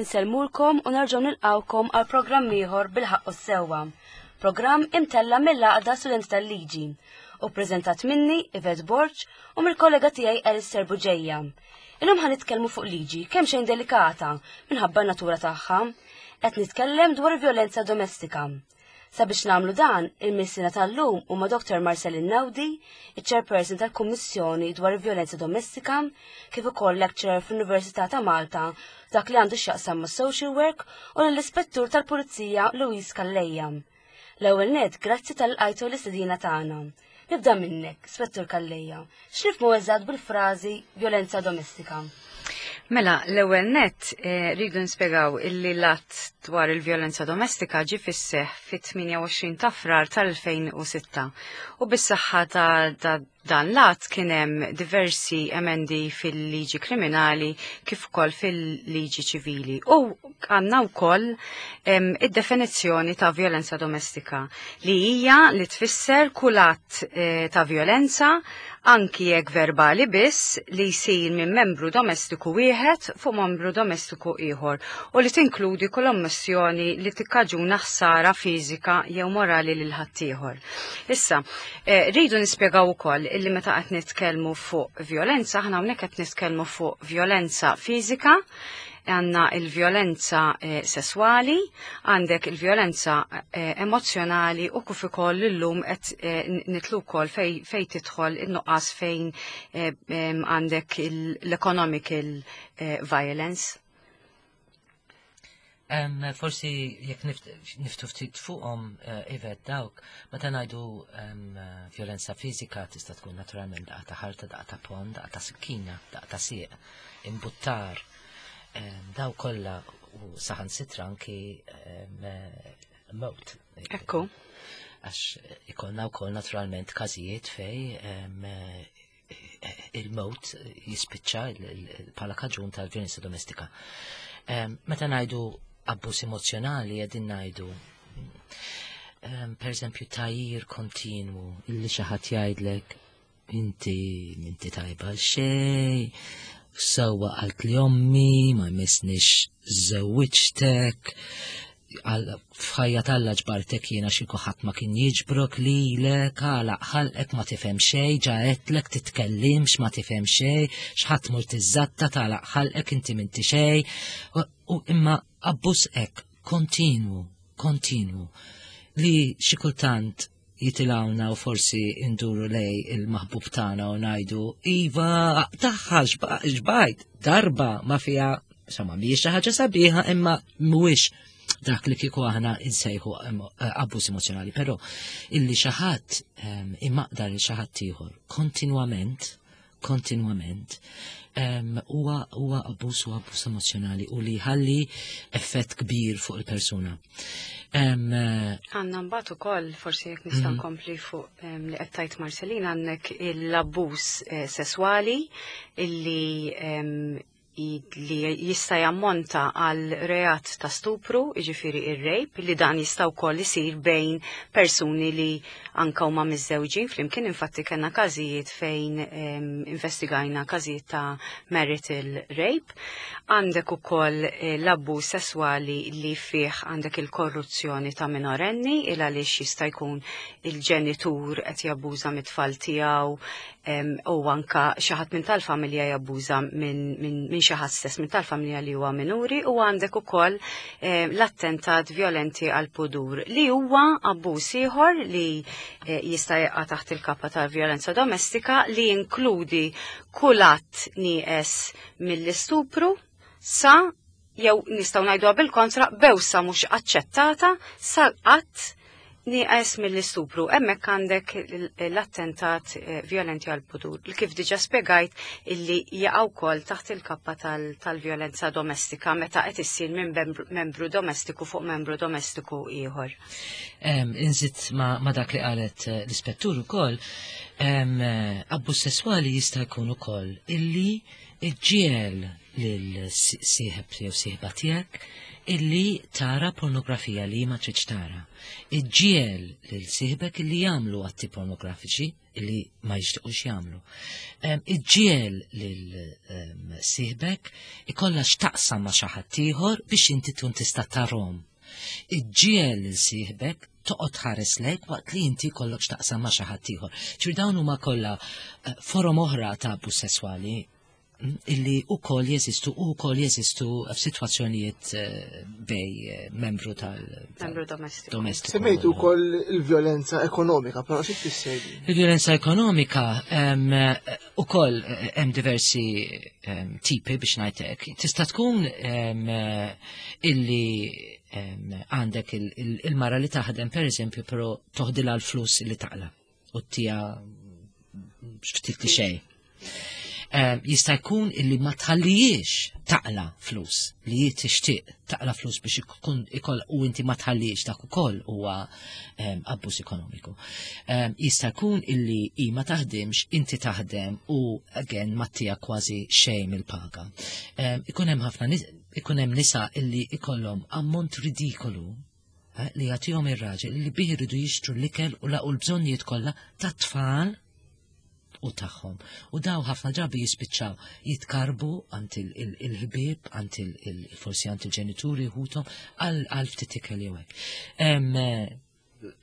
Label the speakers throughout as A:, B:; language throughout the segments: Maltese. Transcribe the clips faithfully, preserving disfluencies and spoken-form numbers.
A: Insellmulkom u nerġgħu nilqawkom għal programm ieħor Bil-Ħaqq u s-Sewwa. Programm imtella mill-Għaqda Studenti tal-Liġi u preżentat minni, Yvette Borg, u mill-kollega tiegħi Alistair Buġeja. Illum ħa nitkellmu fuq liġi kemm xejn delikata minħabba n-natura tagħha. Qed nitkellem dwar violenza domestika. Sabiex nagħmlu dan, il-mistiedna tal-lum huma Doktor Marcelin Naudi, il-Chairperson tal-Kummissjoni dwar il-Violenza Domestika, kif ukoll lecturer fl-Università ta' Malta dak li għandu x'jaqsam ma' social work, u l-Ispettur tal-Pulizija Louise Calleja. L-ewwel net, grazzi talli lqajtu l-istedina tagħna. Nibda minnek, Spettur Calleja. X'nifhmu eżatt bil-frażi violenza domestika?
B: Mela, l-ewwel net eh, rridu nispjegaw illi l-att dwar il-vjolenza domestika ġi fis-seħ fit-tmienja u għoxrin ta' Frar tal-elfejn u sitta u bis-saħħa ta', ta dan l-att kien hemm diversi emendi fil-liġi kriminali kif ukoll fil-liġi ċivili. U għandna wkoll id-definizzjoni ta' vjolenza domestika li hija li tfisser kull att eh, ta' vjolenza, anki jekk verbali biss, li jsir minn membru domestiku wieħed fuq membru domestiku ieħor u li tinkludi kull ommissjoni li tikkaġuna ħsara fiżika jew morali lil ħaddieħor. Issa, eh, rridu nispjegaw ukoll illi meta qed nitkellmu fuq violenza, aħna hawnhekk qed nitkellmu fuq violenza fiżika, għandna il-violenza eh, sessuali, għandek il-violenza eh, emozjonali u kif ukoll illum qed eh, nidħlu wkoll fej, fej tidħol in-nuqqas fejn eh, għandek l-economical eh, violence.
C: Um, forsi jekk niftħu ftit fuqhom, uh, Yvette, dawk, meta ngħidu um, violenza fiżika, tista' tkun naturalment daqqa ta' ħarta, daqqa ta' ponn, daqqa ta' sikkina, daqqa ta' sieq, imbuttar, um, daw kollha u saħansitra anki um, mewt.
B: Ekku.
C: Għax ikollna wkoll naturalment każijiet fej um, il-mewt jispiċċa bħala kaġun tal-violenza domestika. Um, meta ngħidu abbuż emozjonali, qegħdin ngħidu um, per eżempju tgħajjir kontinwu, illi xi ħadd jgħidlek inti inti tajba xej, sewwa qalt li ommi ma jmissnix żewwiġtek, f'ħajja t'Alla ġbartek jiena, xi ħadd ma kien jiġbrok lilek, għalaq ħalqek, ma tifhem xejn, ġa għedtlek titkellimx, ma tifhem xejn, x'ħadd mur tiżatta, tagħlaq ħalqek, inti m'inti xejn. U imma abbuż hekk kontinwu, kontinwu, li xi kultant jitilgħuna u forsi induru lej il-maħbub tagħna u ngħidu iva taħħa xbajt darba ma fija, insomma, mhijiex xi ħaġa sabiħa, imma mhuwiex dak li kieku aħna insejħu abbuż emozjonali, però illi xi ħadd imaqdar il xi ħadd ieħor kontinwament, kontinwament, huwa huwa abbuż u abbuż emozjonali u li ħalli effett kbir fuq il-persuna.
B: Għandna mbagħad ukoll, forsi jekk nista' mhm. nkompli fuq li qed tgħid Marcelina, għandek l-abbuż eh, sesswali illi li jista' jammonta għal reat ta' stupru, jiġifieri ir-rape, li dan jista' wkoll isir bejn persuni li anka huma miżżewġin flimkien. Infatti kellna każijiet fejn investigajna każijiet ta' marital rape. Għandek ukoll eh, l-abbuż sesswali li fih għandek il-korruzzjoni ta' minorenni, il għaliex jista' jkun il-ġenitur qed jabbuża mit-tfal tiegħu u anka xi ħadd minn tal-familja jabbuża minn min, min xi ħadd stess minn tal-familja li huwa minuri, u għandek ukoll l-attentat violenti għal pudur li huwa abbuż ieħor li eh, jista' jaqa' taħt il-kappa tal-vjolenza domestika, li jinkludi kull att nieqes mill-istupru sa, jew nistgħu ngħidu bil-kontra, bewsa mhux aċċettata sa att nieqes mill-istupru. Hemmhekk għandek l-attentat eh, violenti għal pudur. Kif diġa spiegajt, illi jaqgħu wkoll taħt il-kappa tal-violenza domestika meta qed issir minn membru domestiku fuq membru domestiku ieħor.
C: Inżid ma dak li qalet eh, l-ispettur ukoll, abbuż sesswali jista' jkun ukoll illi iġġiegħel lil sieħeb jew sieħba tiegħek illi tara pornografija li ma tridx tara. Iġġiegħel lil sieħbek illi jagħmlu atti pornografiċi illi ma jixtiequx jagħmlu. Iġġiegħel lil sieħbek ikollha x'taqsam ma' xi ħadd ieħor biex inti tkun tista' tarhom. Iġġiegħel lil sieħbek toqgħod ħares lejk waqt li inti kollok x'taqsam ma' xi ħadd ieħor. Ġifieri dawn huma kollha eh, forom oħra ta' abbuż sesswali illi u koll jeżistu u koll jeżistu f'sitwazzjonijiet eh, bejn eh, membru tal
B: Membru domestiku.
C: Domestiku.
D: Semmejtu wkoll il-vjolenza ekonomika, però xi tfisser din?
C: Il-vjolenza ekonomika u koll hemm diversi em, tipi biex ngħidlek. Tista' tkun em, illi em, għandek il- il- il-mara li taħdem per eżempju, però toħdilha l-flus li taqla u tija ftit li xejn. Em, Jista' jkun illi ma tħallijiex taqla flus li hi tixtieq taqla flus biex ikun ikoll u inti ma tħallijiex, dak ukoll huwa em, abbuż ekonomiku. Em, Jista' jkun illi hi ma taħdimx, inti taħdem u again ma tija kważi xejn mill-paga. Em, Ikun hemm ħafna nis- ikun hemm nisa illi ikollhom ammont ridikolu eh, li jagħtihom ir-raġel li bih iridu jixtru l-ikel u laqu l-bżonnijiet kollha tat-tfal u tagħhom. U daw ħafna drabi jispiċċaw jitkarbu għand il-ħbieb, għand il- forsi għand il-ġenituri ħuthom għal għal ftit ikel jew hekk. Em, eh,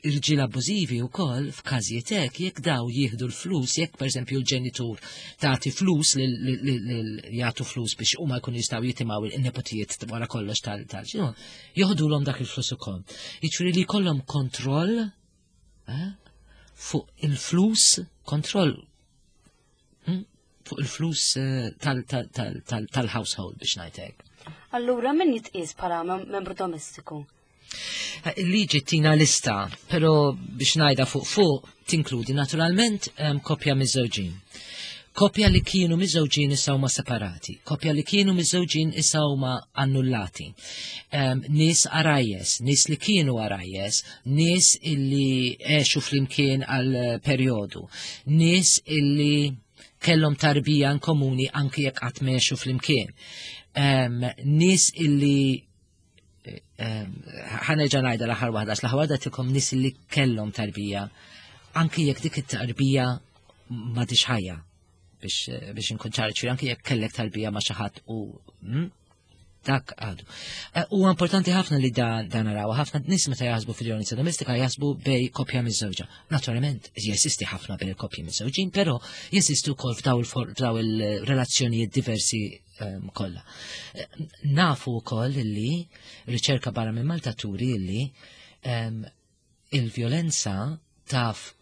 C: Irġiel abbużivi wkoll f'każijiet hekk, jekk daw jieħdu l-flus, jekk pereżempju l-ġenitur tagħti flus lil- lil- lil- jagħtu flus biex huma jkunu jistgħu jitimgħu il-nepotijiet wara kollox tal tal joħdulhom dak il-flus ukoll. Jiġifieri li jkollhom kontroll eh, fuq il-flus, kontroll hmm, fuq il-flus eh, tal- tal- tal- tal- tal-household biex ngħidlek.
A: Allura min jitqies bħala mem- membru domestiku?
C: Il-liġi tina lista, pero biex ngħidha fuq fuq tinkludi naturalment em, koppja miżżewġin. Koppja li kienu miżżewġin issa huma separati, koppja li kienu miżżewġin issa huma annullati. Em, nies għarajjes, nies li kienu għarajjes, nies illi għexu flimkien għal perjodu, nies illi kellhom tarbija in komuni anki jekk qatt m'għexu flimkien. Em, nies illi ħa nerġa' ngħidha l-aħħar waħda, l-aħħar waħda tikom nies li kellhom tarbija, anki jekk dik it-tarbija m'għadhiex ħajja biex biex inkun ċar, ċir, anki jekk kellek tarbija ma' xi ħadd u mm, dak għadu. Eh, Huwa importanti ħafna li dan dan naraw, ħafna nies meta jaħsbu fil-vjolenza domestika jaħsbu bejn koppja miżżewġa. Naturalment, jeżisti ħafna bejn koppji miżżewġin, però jeżistu wkoll f'daw il- f'daw il-relazzjonijiet diversi ehm, kollha. Eh, Nafu wkoll li riċerka barra minn Malta turi li ehm, il-vjolenza taf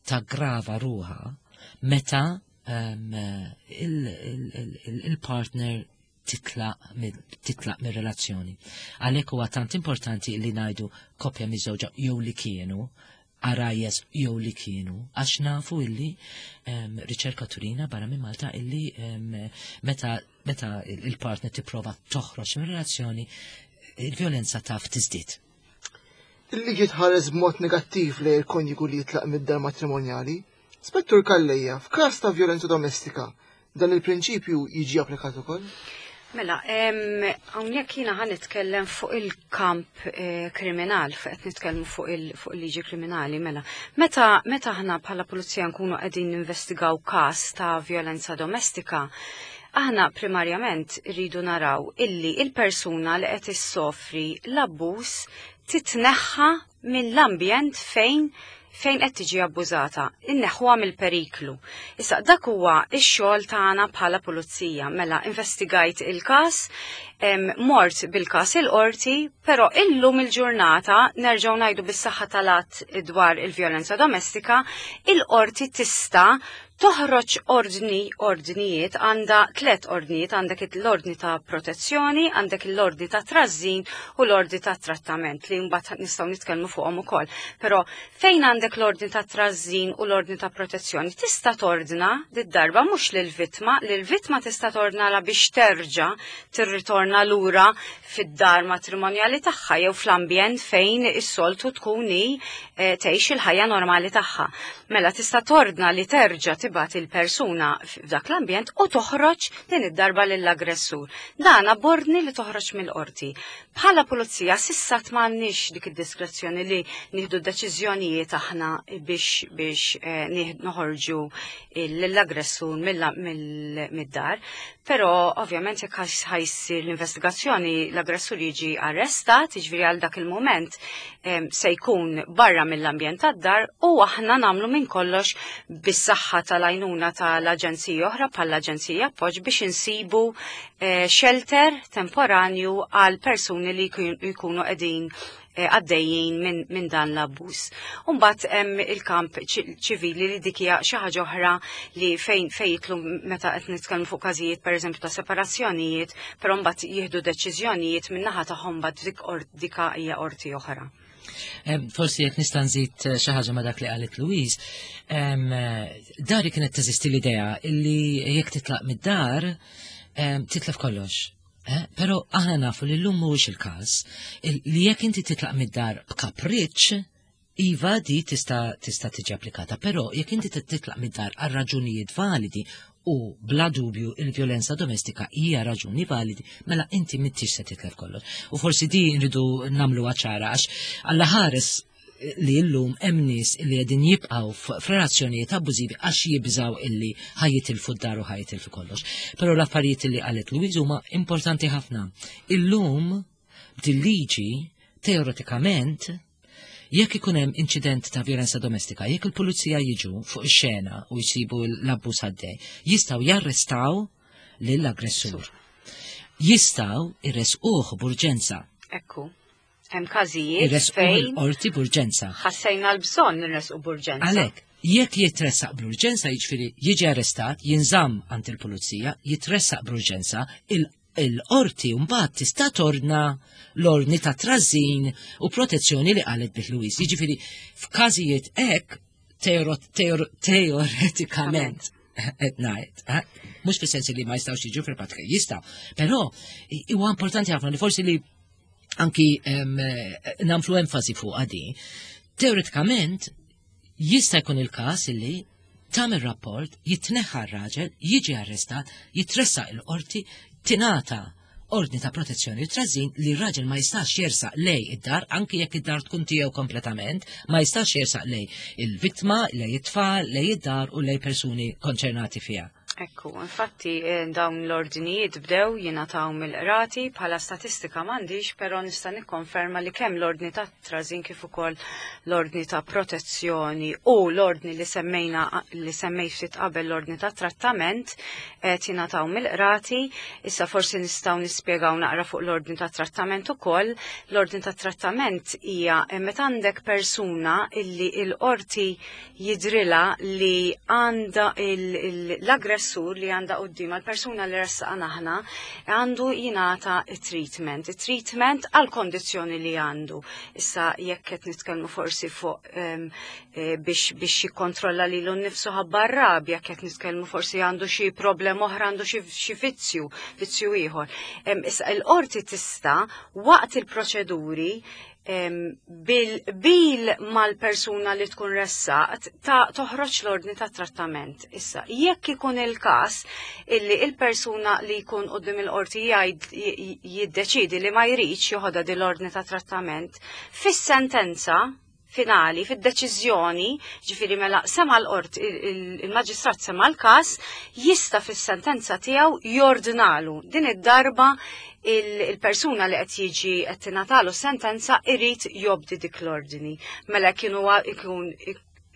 C: taggrava ruħha meta ehm, il- il- il- il-partner titlaq titlaq mir-relazzjoni. Għalhekk huwa tant importanti li ngħidu koppja miżżewġa jew li kienu, għarajjes jew li kienu, għax nafu illi um, riċerka turina barra minn Malta illi um, meta, meta il-partner tipprova toħroġ mir-relazzjoni, il-vjolenza taf tiżdied.
D: Il-liġi tħares b'mod negattiv li il-konjugu li jitlaq mid-dar matrimonjali. Spettur Calleja, f'każ ta' vjolenza domestika, dan il-prinċipju jiġi applikat ukoll?
B: Mela, hawnhekk jiena ħa nitkellem fuq il-kamp eh, kriminal, fuq qed nitkellmu fuq il-liġi kriminali, mela. Meta meta aħna bħala pulizija nkunu qegħdin ninvestigaw każ ta' vjolenza domestika, aħna primarjament rridu naraw illi il-persuna li qed issofri l-abbuż titneħħa mill-ambjent fejn fejn qed tiġi abbużata, inneħħuha mill-periklu. Issa dak huwa x-xogħol tagħna bħala pulizija. Mela investigajt il-każ, mort bil-każ il-qorti, però illum il-ġurnata nerġgħu ngħidu bis-saħħa tal-att dwar il-vjolenza domestika, il-qorti tista' toħroġ ordni, ordnijiet, għandha tlet ordnijiet, għandek l-ordni ta' protezzjoni, għandek l-ordni ta' trażżin u l-ordni ta' trattament li mbagħad nistgħu nitkellmu fuqhom ukoll. Però fejn għandek l-ordni ta' trażżin u l-ordni ta' protezzjoni, tista' tordna did-darba mhux lill-vittma, lill-vittma tista' tordnala biex terġa' tirritorna lura fid-dar matrimonjali tagħha jew fl-ambjent fejn is-soltu tkun hi eh, tgħix il-ħajja normali tagħha. Mela tista' tordna li terġa' tibgħat il-persuna f'dak l-ambjent u toħroġ din id-darba lill-aggressur. Dan b'ordni li toħroġ mill-qorti. Bħala pulizija s'issa m'għandniex dik id-diskrezzjoni li nieħdu deċiżjonijiet aħna biex biex eh, noħorġu l-aggressur mid-dar. Però ovvjament jekk ħa ssir l-investigazzjoni, l-aggressur jiġi arrestat, jiġifieri għal dak il-moment se jkun barra mill-ambjent tad-dar u aħna nagħmlu minn kollox bis-saħħa tal-għajnuna tal-aġenzija oħra bħall-Aġenzija Appoġġ biex insibu eh, shelter temporanju għal persuni li jkunu qegħdin eh, għaddejjin minn min dan l-abbuż. Umbagħad hemm il-kamp ċivili li dik hija xi ħaġa oħra li fejn fejn jidħlu meta qed nitkellmu fuq każijiet, pereżempju, ta' separazzjonijiet, però mbagħad jieħdu deċiżjonijiet min-naħa tagħhom mbagħad dik dika hija qorti oħra.
C: Forsi jekk nista' nżid eh, xi ħaġa ma' dak li qalet Louise, dari kienet teżisti l-idea illi jekk titlaq mid-dar titlef kollox. Eh? Però aħna nafu li llum mhuwiex il-każ, li jekk inti titlaq mid-dar b'kapriċċ, iva, di tista' tista' tiġi applikata, però jekk inti titlaq mid-dar għal raġunijiet validi, u bla dubju il-vjolenza domestika hija raġuni validi, mela inti m'intix se titlef kollox. U forsi di nridu nagħmlu ċara għax Alla ħares li llum hemm nies li qegħdin jibqgħu f'relazzjonijiet abbużivi għax jibżaw illi ħa jitilfu d-dar u ħa jitilfu kollox. Però l-affarijiet li qalet Louise huma importanti ħafna. Illum b'dil-liġi, teoretikament, jekk ikun hemm inċident ta' vjolenza domestika, jekk il-pulizija jiġu fuq ix-xena u jsibu l-abbuż għaddej, jistgħu jarrestaw lill-aggressur. Jistgħu jressquh b'urġenza.
B: Ekku. Hemm każijiet
C: Irresquh
B: fejn
C: il-qorti b'urġenza.
B: ħassejna l-bżonn nresqu b'urġenza.
C: Għalhekk, jekk jitressaq bl-urġenza, jiġifieri jiġi arrestat, jinżamm għand il-pulizija, jitressaq bl-urġenza, il- il-qorti mbagħad tista' tordna l-ordni ta' trażin u protezzjoni li qalet bih Louise. Jiġifieri f'każijiet hekk teoro- teor- teoretikament qed ngħid, eh? Mhux fis-sens li ma jistgħux jiġu fil-pratika, jistgħu, però huwa importanti ħafna li forsi li anki em, eh, nagħmlu enfasi fuq għadi. Teoretikament jista' jkun il-każ illi tagħmel rapport, jitneħħa r-raġel, jiġi arrestat, jitressaq il-qorti, tingħata ordni ta' protezzjoni u trażin li r-raġel ma jistax jersaq lejn id-dar, anki jekk id-dar tkun tiegħu kompletament, ma jistax jersaq lejn il-vittma, lejn it-tfal, lejn id-dar u lejn persuni konċernati fiha.
B: Ekku, infatti eh, dawn l-ordinijiet bdew jingħataw mill-qrati. Bħala statistika m'għandix, però nista' nikkonferma li kemm l-ordni ta' trażin kif ukoll l-ordni ta' protezzjoni u l-ordni li semmejna, li semmejt ftit qabel, l-ordni ta' trattament, qed jingħataw mill-qrati. Issa forsi nistgħu nispjegaw naqra fuq l-ordni ta' trattament ukoll. L-ordni ta' trattament hija eh, meta għandek persuna illi il-qorti jidrilha li għandha l-aggressur li għandha quddiem, l-persuna li ressaqna aħna, għandu jingħata treatment. Treatment għal kondizzjoni li għandu. Issa jekk qed nitkellmu forsi fuq em, eh, biex biex jikkontrolla lilu nnifsu ħabba r-rabja, jekk qed nitkellmu forsi għandu xi problem oħra, għandu xi xi vizzju, vizzju ieħor. Em, Issa il-qorti tista' waqt il-proċeduri em, bil-bil mal-persuna li tkun ressaqt ta' toħroġ l-ordni ta' trattament. Issa, jekk ikun il-każ illi il-persuna li jkun quddiem il-qorti jgħid jiddeċidi li ma jridx joħodha din l-ordni ta' trattament, fis-sentenza finali, fid-deċiżjoni, ġifieri mela sema l-qort, il-maġistrat sema l-każ, jista' fis-sentenza tiegħu jordnalu. Din id-darba il-persuna li qed jiġi qed tingħatalu sentenza irid jobdi dik l-ordni. Mela kienu ikun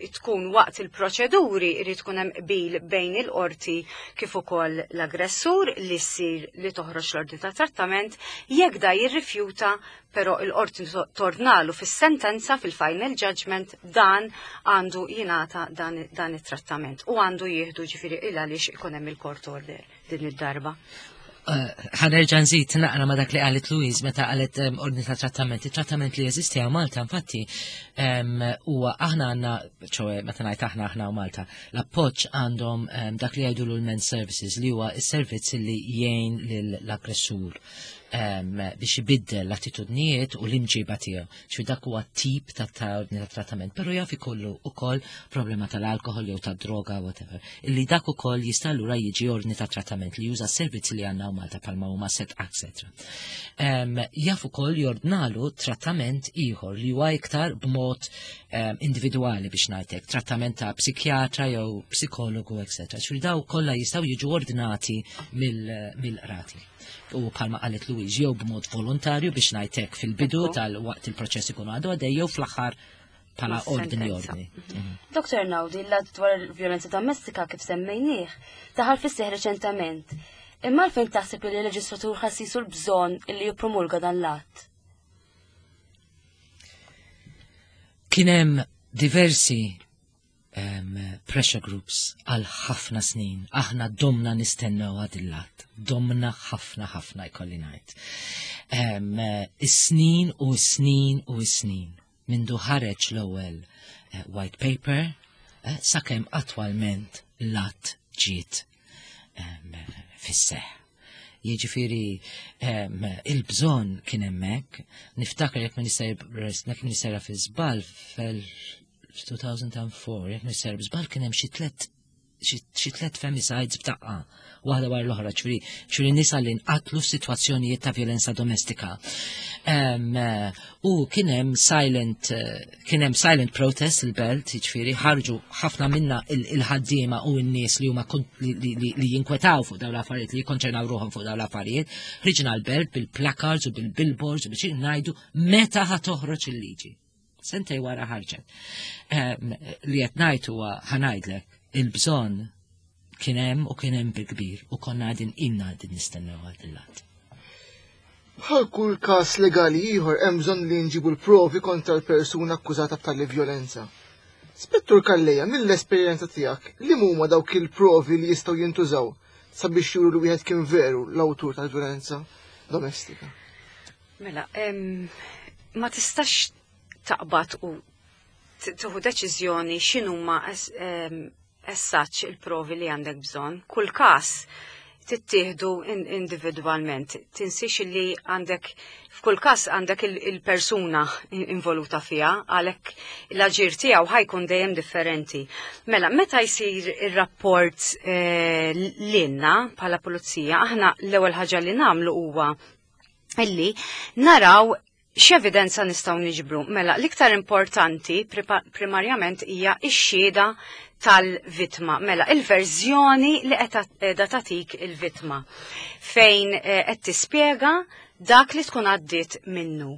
B: tkun waqt il-proċeduri irid tkun hemm qbil bejn il-qorti kif ukoll l-aggressur li ssir li toħroġ l-ordni ta' trattament. Jekk da jirrifjuta, però il-qorti tordnalu fis-sentenza, fil-final judgment, dan għandu jingħata dan, dan it-trattament u għandu jieħdu, ġifieri il għaliex ikun hemm il-court order din id-darba.
C: Ħa nerġa' nżid naqra ma' dak li qalet Louise meta qalet ordni ta' trattament. Il-trattament li jeżisti għal Malta, infatti, huwa aħna għandna, ċoè meta ngħid aħna, aħna u Malta, l-Appoġġ għandhom dak li jgħidu l-Men Services, li huwa s-servizz li jgħin lill-aggressur. biex ibiddel l-attitudnijiet u l-imġiba tiegħu. Ġifieri dak huwa tip ta' ordni ta' trattament, però jaf ikollu ukoll problema tal-alkohol jew tad-droga, whatever. Illi dak ukoll jista' allura jiġi ordni ta' trattament li juża servizzi li għandna Malta bħalma huma set et cetera. Jaf ukoll jordnalu trattament ieħor li huwa iktar b'mod individwali, biex ngħidlek, trattament ta' psikjatra jew psikologu, et cetera. Ġifieri daw kollha jistgħu jiġu ordnati mill-qrati. U bħalma qalet Louise, jew b'mod volontarju, biex ngħidlek, fil-bidu tal-waqt il-proċess ikun għadu għaddej, jew fl-aħħar bħala ordni ordni.
A: Mhm. Doktor Naudi, l-att dwar il-vjolenza domestika, kif semmejnieh, daħal fis-seħħ reċentament. Imma għalfejn taħseb li l-leġislatur ħass il-bżonn illi jippromulga dan l-att?
C: Kien hemm diversi um, pressure groups għal ħafna snin. Aħna domna nistennew għad il-att. Domna ħafna ħafna, jkolli ngħid. Um, is-snin u s-snin u s-snin. Mindu ħareġ l-ewwel uh, white paper, uh, sakemm attwalment l-att ġiet um, fis-seħ. Jiġifieri um, il-bżonn kien hemmhekk, niftakar, jekk ma nista' fi żball, fil-elfejn u erbgħa, jekk ma nista' żball, kien hemm xi tliet xi tliet femicides b'daqqa, waħda wara l-oħra, ġifieri ġifieri nisa li nqatlu f'sitwazzjonijiet ta' violenza domestika. U kien hemm silent kien hemm silent protest il-Belt, ġifieri ħarġu ħafna minna il-ħaddiema u n-nies li huma li jinkwetaw fuq dawn l-affarijiet, li jikkonċernaw ruħhom fuq dawn l-affarijiet, ħriġna l-Belt bil-placards u bil-billboards u biex ngħidu meta ħa toħroġ il-liġi. Sentej wara ħarġet. Li qed ngħid huwa, ħa ngħidlek, il-bżonn kien hemm u kien hemm bil-kbir u konna għadin inna għadin nistennew għad il-lat.
D: Bħal kull każ legali ieħor, hemm bżonn li nġibu l-provi kontra l-persuna akkużata b'tali vjolenza. Spettur Calleja, mill-esperjenza tiegħek, li huma dawk il-provi li jistgħu jintużaw sabiex juru li wieħed kien veru l-awtur tal-vjolenza domestika?
B: Mela, ma tistax taqbad u tieħu deċiżjoni x'inhuma essaċ il-provi li għandek bżonn. Kull każ tittieħdu individwalment. Tinsix li għandek f'kull każ għandek il-persuna involuta fiha, għalhekk l-aġir tiegħu ħa jkun dejjem differenti. Mela, meta jsir ir-rapport eh, lilna bħala pulizija, aħna l-ewwel ħaġa li nagħmlu huwa illi naraw x'evidenza nistgħu niġbru. Mela, l-iktar importanti primarjament hija x-xhieda tal-vitma. Mela, il-verżjoni li qed tagħtik il-vitma fejn eh, qed tispjega dak li tkun għaddit minnu.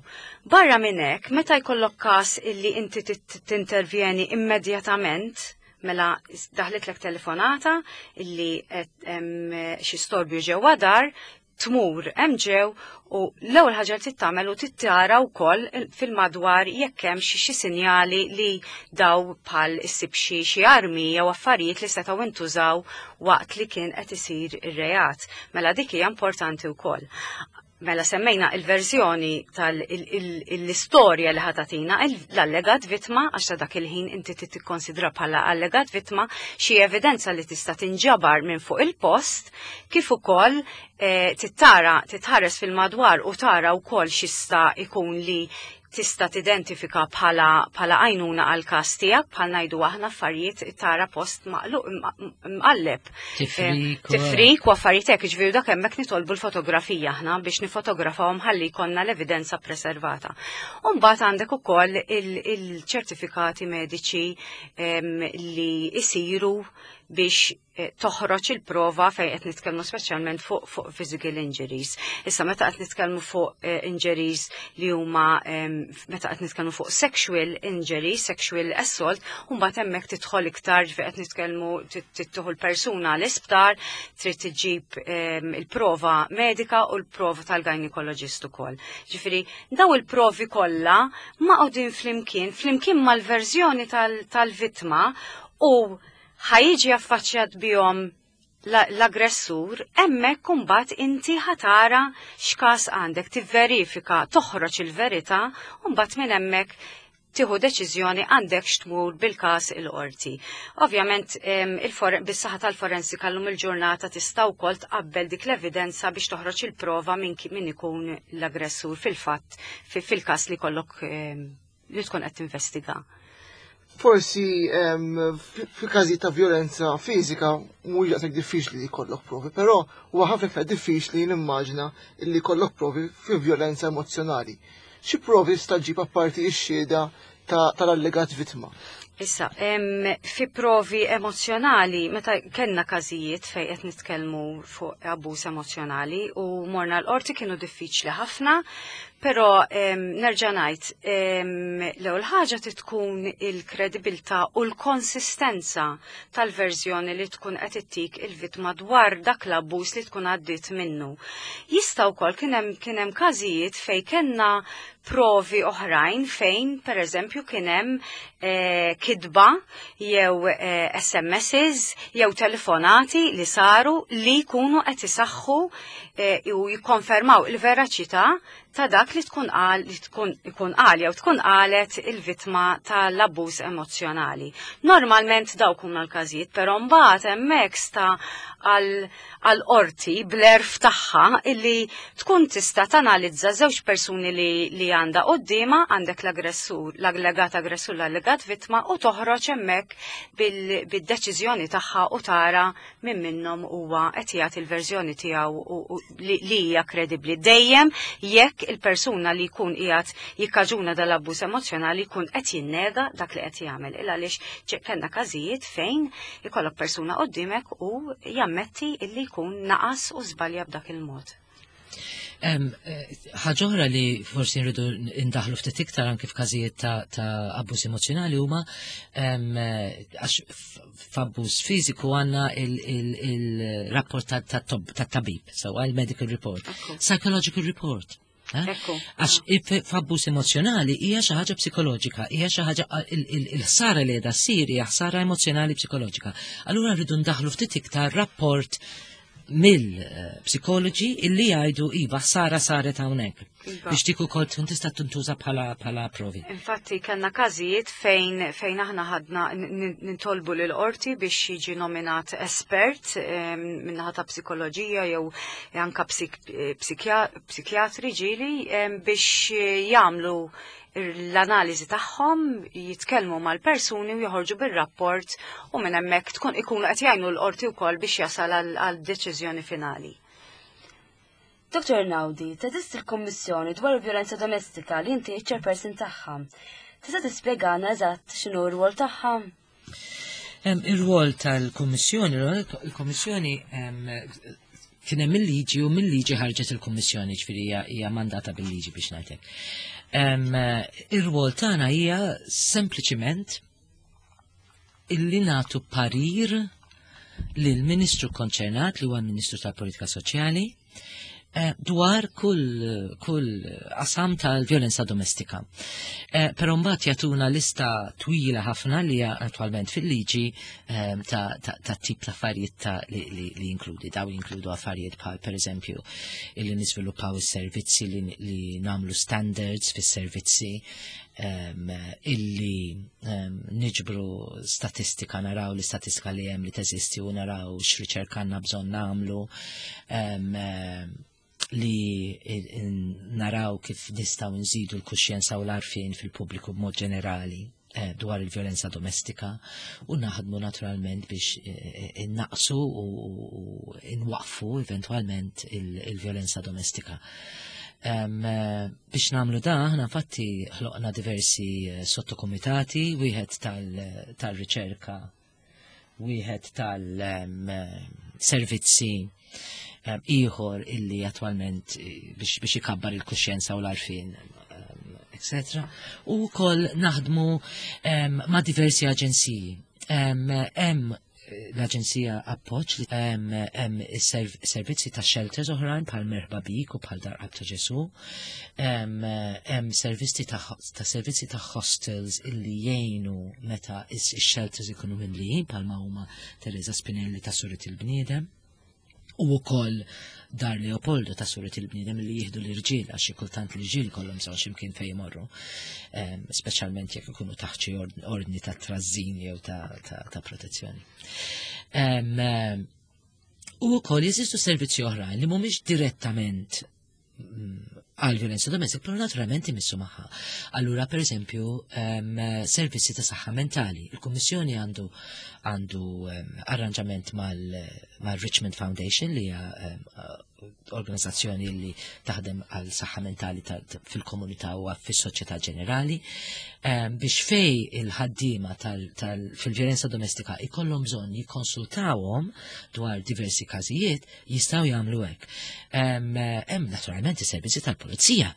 B: Barra minn hekk, meta jkollok każ illi inti tintervjeni immedjatament, mela daħlitlek telefonata illi xi storbju ġewwa dar, tmur hemm ġew u l-ewwel ħaġa li tagħmel u tittara wkoll fil-madwar jekk hemm xi sinjali li daw bħal issib xi xi armi jew affarijiet li setgħu intużaw waqt li kien qed isir ir-reat. Mela dik hija importanti wkoll. Mela semmejna il-verżjoni tal-istorja li ħa tagħtina l-allegat vittma, għax ta' dak il-ħin inti tikkonsidra bħala allegat vittma, xi evidenza li tista' tinġabar minn fuq il-post, kif ukoll eh, tittara titħares fil-madwar u tara wkoll x'jista' ikun li tista' tidentifika bħala bħala għajnuna għal każ tiegħek, bħal ngħidu aħna affarijiet tara post maqluq mqalleb.
C: Tifrik.
B: Tifrik u affarijiet hekk, ġifieri dak hemmhekk nitolbu l-fotografija aħna biex nifotografawhom ħalli jkollna l-evidenza preservata. U mbagħad għandek ukoll il-ċertifikati mediċi li isiru biex eh, toħroġ il-prova fejn qed nitkellmu speċjalment fuq fuq physical injuries. Issa meta qed nitkellmu fuq eh, injuries li huma, meta qed nitkellmu fuq sexual injuries, sexual assault, u mbagħad hemmhekk tidħol iktar fejn qed nitkellmu tieħu l-persuna l-isptar, trid tiġib il-prova medika u l-prova tal-gynecologist ukoll. Ġifieri daw il-provi kollha maqgħudin flimkien, flimkien mal-verżjoni tal-vittma u ħa jiġi affaċċjat bihom l-aggressur, hemmhekk kumbat inti ħa tara x'każ għandek, tivverifika, toħroġ il-verità, u mbagħad minn hemmhekk tieħu deċiżjoni għandek x'tmur bil-każ il-qorti. Ovvjament bis-saħħa tal-forensika llum il-ġurnata tista' wkoll tqabbel dik l-evidenza biex toħroġ il-prova minn min ikun l-aggressur fil-fatt fil-każ li kollok li tkun qed tinvestiga.
D: Forsi fil-każi ta' violenza fiżika mhux daqshekk diffiċli li jkollok provi, però huwa ħafna iktar diffiċli nimmaġina li jkollok provi fi violenza emozjonali. Xi provi tista' ġġib apparti x-xhieda tal-allegat vittma?
B: Issa, fi provi emozjonali, meta kellna każijiet fejn qed nitkellmu fuq abbuż emozjonali u morna l-qorti, kienu diffiċli ħafna, però nerġa' ngħid, l-ewwel ħaġa tkun il-kredibilità u l-konsistenza tal-verżjoni li tkun qed ittik il-vittma dwar dak l-abbuż li tkun għaddiet minnu. Jista' wkoll kien hemm kien hemm każijiet fejn kellna provi oħrajn fejn pereżempju kien hemm eh, kidba jew eh, S M Ss jew telefonati li saru li jkunu qed isaħħu eh, u jikkonfermaw il-veraċità ta' dak li tkun qal li tkun ikun qal jew tkun qalet il-vittma tal-abbuż emozjonali. Normalment dawk huma l-każijiet, però mbagħad hemmhekk sta għal qorti bl-għerf tagħha illi tkun tista' tanalizza żewġ persuni li, li għandha quddiemha, għandek l-aggressur, l-allegat aggressur, l-allegat vittma, u toħroġ hemmhekk bil-deċiżjoni tagħha u tara minn minnhom huwa qed jagħti l-verżjoni tiegħu li hija kredibbli. Dejjem jekk il-persuna li jkun qiegħed jikkaġuna dal-abbuż emozjonali jkun qed jinnega dak li qed jagħmel. Il għaliex kellna każijiet fejn ikollok persuna quddiemek u jammetti illi jkun naqas u żbalja b'dak il-mod.
C: Ħaġa oħra li forsi nridu indaħlu ftit iktar anke f'każijiet ta', ta abbuż emozjonali huma, għax f'abbuż fiżiku għandna il-rapport tat-tabib, so il-medical report, psychological report. Għax f'abbuż emozjonali hija xi ħaġa psikoloġika, hija xi ħaġa, il-ħsara li qiegħda ssir hija ħsara emozjonali psikoloġika. Allura rridu ndaħlu ftit iktar rapport mill-psikoloġi illi jgħidu iva, ħsara saret hawnhekk.
B: Iva.
C: Biex dik ukoll tkun tista' tintuża bħala bħala provi.
B: Infatti kellna każijiet fejn fejn aħna ħadna nintolbu lil qorti biex jiġi nominat espert minnaħa ta' psikoloġija jew anka psikjatri ġieli biex jagħmlu l-analiżi tagħhom, jitkellmu mal-persuni u joħorġu bir-rapport u minn hemmhekk tkun ikunu qed jgħinu l-qorti wkoll biex jasal għal deċiżjoni finali.
A: Doktor Naudi, teżisti l-Kommissjoni dwar il-Vjolenza Domestika li inti chairperson tagħha. Tista' tispjegana eżatt x'inhu r-rwol tagħha?
C: Ir-rwol tal-Kummissjoni, il-Kummissjoni kien hemm il-liġi u mill-liġi ħarġet il-Kummissjoni, ġifieri hija mandata bil-liġi biex ngħidlek. Ir-rwol tagħna hija sempliċiment illi nagħtu parir lill-Ministru konċernat, li huwa l-Ministru tal-Politika Soċjali, eh, dwar kull, kull qasam tal-vjolenza domestika. Eh, Però mbagħad jagħtuna lista twila ħafna li hija attwalment fil-liġi eh, ta', ta, ta' tip ta' affarijiet ta' li, li, li jinkludi. Daw jinkludu affarijiet bħal, pereżempju, illi niżviluppaw is-servizzi, li, li nagħmlu standards fis-servizzi, um, illi um, niġbru statistika, naraw l-istatistika li hemm li teżisti u naraw x'riċerka għandna bżonn nagħmlu, um, li naraw kif nistgħu nżidu l-kuxjenza u l-għarfien fil-pubbliku b'mod ġenerali eh, dwar il-vjolenza domestika u naħdmu naturalment biex eh, innaqsu u nwaqfu eventualment il-vjolenza domestika. Um, biex nagħmlu da, aħna infatti ħloqna diversi sottokomitati, wieħed tal-riċerka, wieħed tal-servizzi, ieħor illi attwalment biex, biex ikabbar il-kuxjenza u l-għarfien, et cetera. U wkoll naħdmu um, ma' diversi aġenziji. Hemm l-Aġenzija Appoġġ li hemm servizzi ta' shelters oħrajn bħal Merħba Bik u bħal Dar Qalb ta' Ġesu. Hemm servizzi ta' servizzi ta' hostels illi jgħinu meta ix-shelters ikunu mimlijin, bħalma huma Teresa Spinelli ta' Suret il-Bniedem. U wkoll Dar Leopoldo ta' Suret il-Bniedem li jieħdu l-irġiel, għax xi kultant l-irġiel kollhom bżonn x'imkien fejn jmorru, speċjalment jekk ikunu taħt xi ordni ta' trażżin jew ta' protezzjoni. U wkoll jeżistu servizzi oħrajn li mhumiex direttament għal violenza domestika, però naturalment imissu magħha. Allura, per eżempju, servizzi ta' saħħa mentali. Il-Kummissjoni għandu għandu arranġament mal-Richmond Foundation, li hija organizzazzjoni li taħdem għal saħħa mentali fil-komunità u fis-soċjetà ġenerali, biex fej il-ħaddiema fil-vjolenza domestika ikollhom bżonn jikkonsultawhom dwar diversi każijiet, jistgħu jagħmlu hekk. Hemm naturalment is-servizzi tal-pulizija.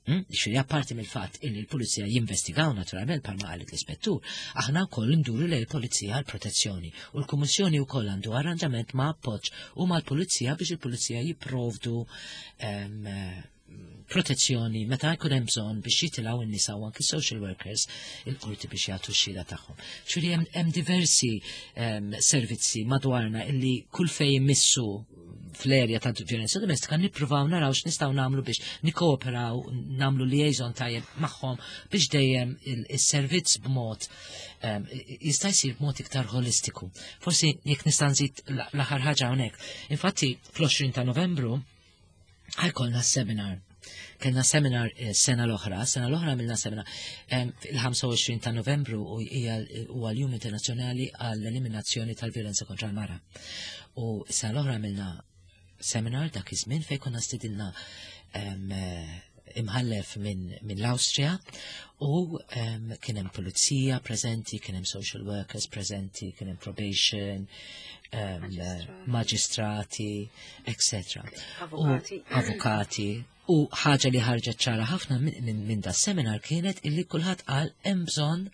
C: Ġifieri apparti mill-fatt illi l-pulizija jinvestigaw naturalment, bħalma qalet l-ispettur, aħna wkoll nduru lejn il-pulizija għal protezzjoni u l-Kummissjoni wkoll għandu arranġament ma' appoġġ u mal-pulizija biex il-pulizija jipprovdu protezzjoni meta jkun hemm bżonn biex jitilgħu n-nisa u anki social workers il-qorti biex jagħtu x-xhieda tagħhom. Ġifieri hemm diversi servizzi madwarna illi kull fejn jmissu fl-erja ta' violenza domestika nippruvaw naraw x'nistgħu nagħmlu biex nikkooperaw, nagħmlu liaison tajjeb magħhom biex dejjem is-servizz b'mod jista' jsir b'mod iktar holistiku. Forsi jekk nista' nżid l-aħħar ħaġa hawnhekk. Infatti fl-għoxrin ta' Novembru ħa jkollna seminar. Kellna seminar sena l-oħra, sena l-oħra għamilna seminar il-ħamsa u għoxrin ta' Novembru u hija huwa l-Jum Internazzjonali għall-Eliminazzjoni tal-Violenza kontra l-Mara. U sena l-oħra għamilna seminar dak iż-żmien fejn konna stidinna imħallef minn min l-Awstrija u kien hemm pulizija preżenti, kien hemm social workers preżenti, kien hemm probation, maġistrati, et cetera.
B: Avukati.
C: Avukati. U ħaġa li ħarġet ċara ħafna minn min da seminar kienet illi kulħadd qal hemm bżonn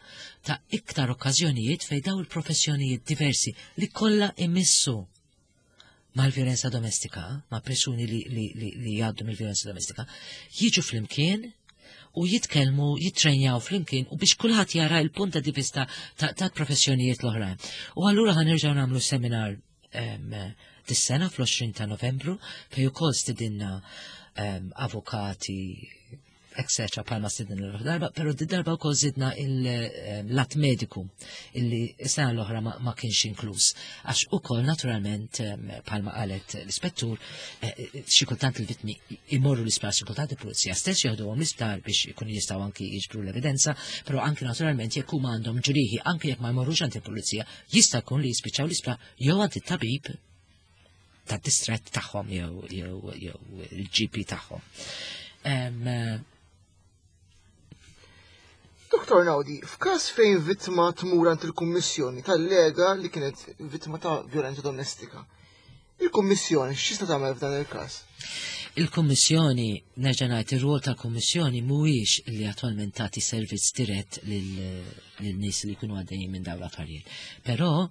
C: ta' iktar okkażjonijiet fejn daw il-professjonijiet diversi li kollha imissu mal-violenza domestika, ma' persuni li, li, li, li jgħaddu mill-violenza domestika, jiġu flimkien u jitkellmu, jitrenjaw flimkien u biex kulħadd jara il-punt di vista ta', ta professjonijiet l-oħrajn. U allura ħa nerġgħu nagħmlu seminar um, dis-sena fl-għoxrin ta' Novembru fej ukoll stidinna um, avukati, et cetera bħalma stidinna l darba, pero di darba wkoll zidna il-lat mediku illi s-sena l-oħra ma, ma kienx inkluż. Għax ukoll naturalment, bħalma qalet l-ispettur, eh, xi kultant il-vittmi imorru l-isptar, xi kultant il-pulizija stess jeħduhom l-isptar biex ikunu jistgħu anki jiġbru l-evidenza, però anki naturalment jekk huma għandhom ġrieħi, anki jekk ma jmorrux għand il-pulizija, jista' jkun li jispiċċaw l-isptar jew għand it-tabib tad-distrett tagħhom jew jew jew il-G P tagħhom. Em,
D: Doktor Naudi, f'każ fejn vittma tmur għand il-Kummissjoni tallega li kienet vittma ta' violenza domestika, il-Kummissjoni x'tista' tagħmel f'dan il-każ?
C: Il-Kummissjoni, nerġa' ngħid, ir-rwol tal-Kummissjoni mhuwiex li attwalment tagħti servizz dirett lil nies li jkunu għaddejjin minn dawn l-affarijiet. Però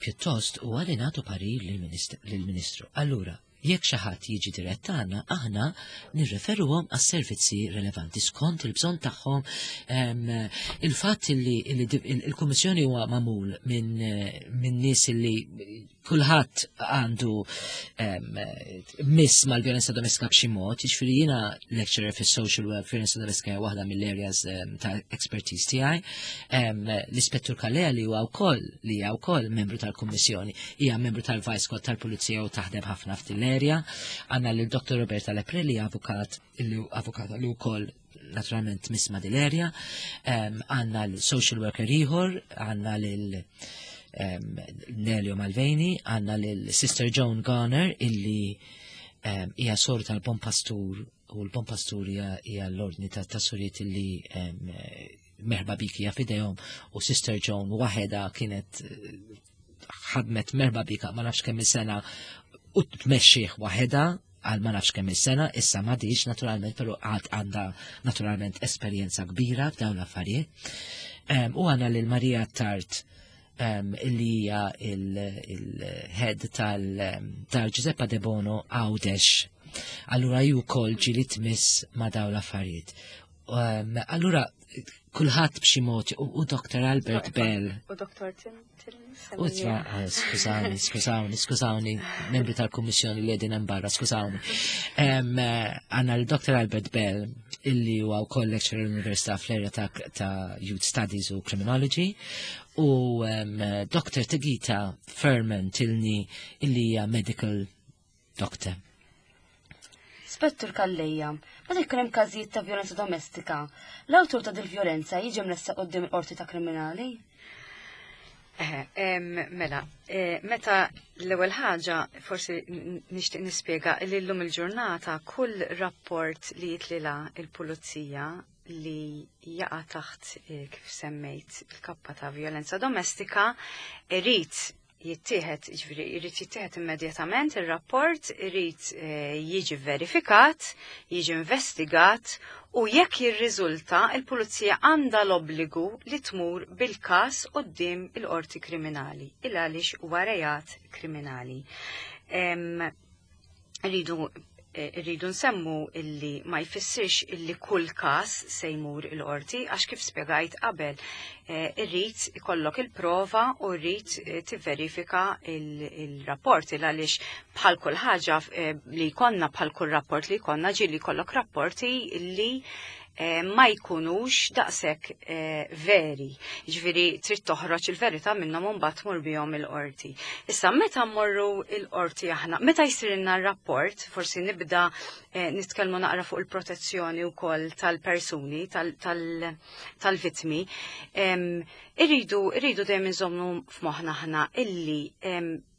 C: pjuttost huwa li nagħtu parir lill-Ministru. Allura, jekk xi ħadd jiġi dirett għandna, aħna nirreferuhom għas-servizzi relevanti skont il-bżonn tagħhom. Il-fatt li il-Kummissjoni huwa magħmul minn min nies li kulħadd għandu miss mal-vjolenza domestika b'xi mod, jiġifieri jiena lecturer fis-social work, violenza domestika hija waħda mill-areas ta' expertise tiegħi. L-Ispettur Calleja, li huwa wkoll li hija wkoll membru tal-Kummissjoni, hija membru tal-Vice Squad tal-Pulizija u taħdem ħafna f'din l-area. Għandna lil Dottor Roberta Leprelli, avukat li avukat li wkoll naturalment tmiss ma' dil-area. Għandna l-social worker ieħor, għandna lil Nelio Malveni, għandna l-Sister Joan Garner illi hija sor tal-Bon Pastur u l-Bon Pastur hija l-ordni ta' sorijiet illi Merħba Bik hija f'idejhom u Sister Joan waħedha kienet ħadmet Merħba Bik ma nafx kemm sena u tmexxih waħedha għal ma nafx kemm sena, issa m'għadhiex naturalment, però għad għandha naturalment esperjenza kbira f'dawn l-affarijiet. U għandna lil Marija Tart, illi hija il-head tal-Giuseppa De Bono Għawdex. Allura ju wkoll ġieli tmiss ma' dawn l-affarijiet. Um, allura, kulħadd b'xi mod u Doctor Albert Bell.
B: U Doctor Tim.
C: U ah, skużawni, skużawni, skużawni, membri tal-Kummissjoni li qegħdin hemm barra, skużawni. Eh, għandna l-Doctor Albert Bell, illi huwa wkoll lecturer l-Università fl-area ta', ta Youth Studies u Criminology, u um, Doctor Tegita Furman Tilni, illi hija medical doctor.
A: Spettur Calleja, meta jkun hemm każijiet ta' vjolenza domestika, l-awtur ta' dil-vjolenza jiġi mressaq quddiem il-qorti ta' kriminali?
B: Eh, mela, eh, meta l-ewwel ħaġa forsi nixtieq nispjega li llum il-ġurnata kull rapport li jitlila il-pulizija li jaqa' taħt eh, kif semmejt il-kappa ta' vjolenza domestika irid jittieħed, ġifieri irid jittieħed immedjatament ir-rapport, irid eh, jiġi verifikat, jiġi investigat u jekk jirriżulta, il-pulizija għandha l-obbligu li tmur bil-każ quddiem il-qorti kriminali, il għaliex huwa reat kriminali. Rridu eh, rridu nsemmu illi ma jfissirx illi kull każ se jmur il-qorti, għax kif spjegajt qabel, eh, irrid ikollok il-prova u rrid eh, tivverifika il-rapport, il għaliex bħal kull ħaġa li jkollna, bħal kull rapport li jkollna, ġieli jkollok rapporti li ma jkunux daqshekk veri. Ġifieri trid toħroġ il-verità minnhom u mbagħad tmur bihom il-qorti. Issa, meta mmorru il-qorti aħna, meta jsir rapport, forsi nibda nitkellmu naqra fuq il-protezzjoni wkoll tal-persuni, tal-vittmi, irridu irridu dejjem inżommu f'moħħna aħna illi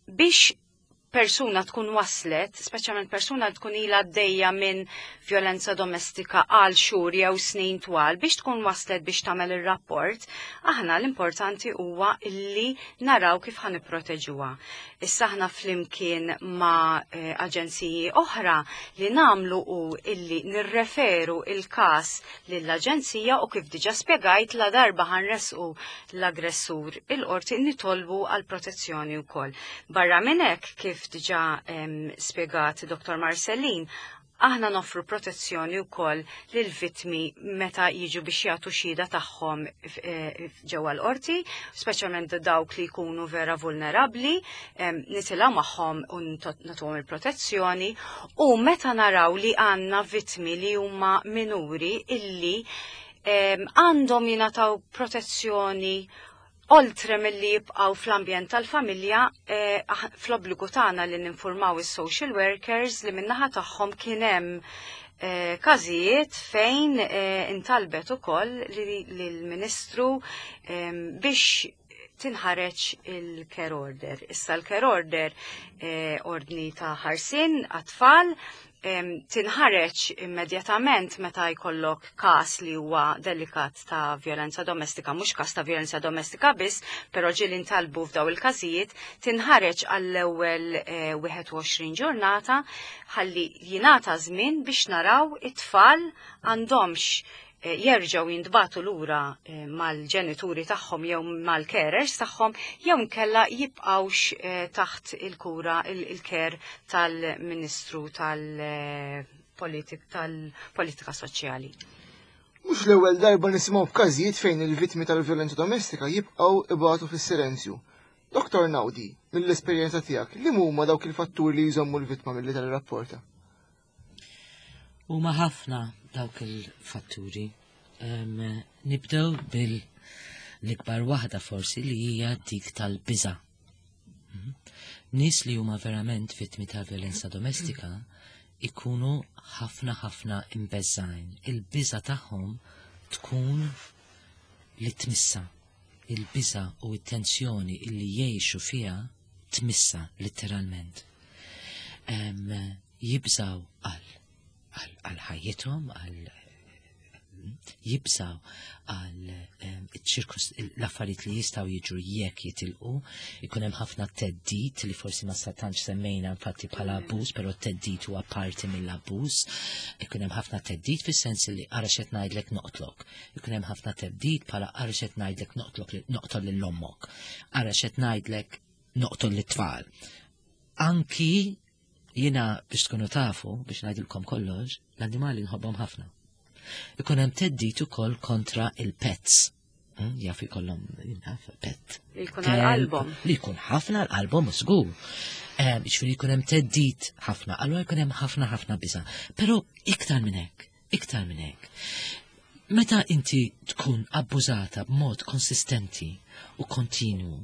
B: biex persuna tkun waslet, speċjalment persuna tkun ilha għaddejja minn violenza domestika għal xhur jew snin twal, biex tkun waslet biex tagħmel ir-rapport, aħna l-importanti huwa illi naraw kif ħa nipproteġuha. Issa, aħna flimkien ma' eh, aġenziji oħra li nagħmlu u illi nirreferu il-kas lill-aġenzija u kif diġa spjegajt, la darba ħa nressqu l-aggressur il-qorti, nitolbu għal protezzjoni wkoll. Barra minn hekk, kif diġa spjegat Doctor Marcellin, aħna noffru protezzjoni wkoll lil vittmi meta jiġu biex jagħtu xhieda tagħhom eh, ġewwa l-qorti, speċjalment dawk li jkunu vera vulnerabbli, nitilgħu magħhom u nagħtuhom il-protezzjoni, u meta naraw li għandna vittmi li huma minuri illi għandhom jingħataw protezzjoni oltre mill-li jibqaw fl-ambjent tal-familja, eh, fl-obbligu tagħna li ninformaw is-social workers li min-naħa tagħhom kien hemm eh, każijiet fejn eh, intalbet ukoll lill-Ministru biex tinħareġ il-care order. Issa, l-care order, ordni ta' ħarsin għat-tfal, tinħareġ immedjatament meta jkollok kas li huwa delikat ta' violenza domestika, mhux kas ta' violenza domestika biss, però ġieli ntalbu f'daw il-każijiet, tinħareġ għall-ewwel wieħed u għoxrin eh, ġurnata ħalli jingħata żmien biex naraw it-tfal għandhomx eh, jerġgħu jintbagħtu lura eh, mal-ġenituri tagħhom jew mal-carers tagħhom jew nkella jibqgħux taħt il-kura, il-care tal-Ministru tal-Politika Soċjali.
D: Mhux l-ewwel darba nisimgħu b'każijiet fejn il-vittmi tal-vjolenza domestika jibqgħu ibatu fis-silenzju. Doktor Naudi, mill-esperjenza tiegħek, li huma dawk il-fatturi li jżommu l-vittma milli tirrapporta?
C: Huma ħafna dawk il-fatturi. Nibdew bil l-ikbar waħda forsi, li hija dik tal-biża. Mhm. Nies li huma verament vittmi ta' violenza domestika ikunu ħafna ħafna imbeżżgħin. Il-biża tagħhom tkun li tmissa. Il-biża u t-tensjoni illi jgħixu fiha tmissa letteralment. Jibżaw għal għal ħajjithom, għal jibżaw għal l-affarijiet li jistgħu jiġru jekk jitilqu, ikun hemm ħafna theddid li forsi ma tantx semmejna infatti bħala abbuż, però theddid huwa parti mill-abbuż. Ikun hemm ħafna theddid fis-sens li "ara x'qed ngħidlek, noqtlok". Ikun hemm ħafna theddid bħala "ara x'qed ngħidlek, noqtlok, noqtol lil ommok. Ara x'qed ngħidlek, noqtol lit-tfal". Anki jiena, biex tkunu tafu, biex ngħidilkom kollox, l-annimali nħobbhom ħafna. Ikun hemm theddid ukoll kontra il-pets. Hmm, jaf ikollhom jaf pet.
B: Li jkun għal-qalbhom.
C: Li jkun ħafna għal-qalbhom żgur. Ġifieri jkun hemm theddid ħafna, allura jkun hemm ħafna ħafna biża'. Però iktar minn hekk, iktar minn hekk. Meta inti tkun abbużata b'mod konsistenti u kontinwu,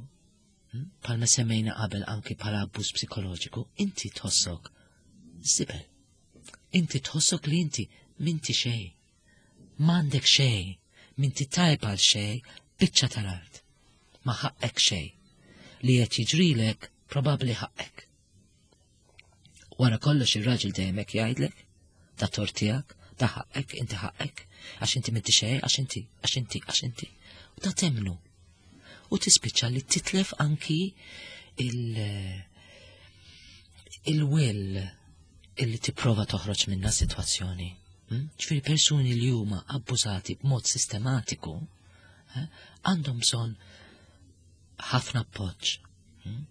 C: hmm, bħalma semmejna qabel anki bħala abbuż psikoloġiku, inti tħossok żibel. Inti tħossok li inti m'inti xejn. M'għandek xejn, m'inti tajba għal xejn, biċċa tal-art. Ma ħaqqek xejn. Li qed jiġrilek probabbli ħaqqek. Wara kollox ir-raġel dejjem hekk jgħidlek, da tort tiegħek, da ħaqqek, inti ħaqqek, għax inti m'inti xejn, għax inti, għax inti, għax inti. U da temmnu. U tispiċċa li titlef anki il- il-will illi tipprova toħroġ minna situazzjoni. Hmm? Ġifieri persuni li huma abbużati b'mod sistematiku eh, għandhom bżonn ħafna appoġġ. Hmm?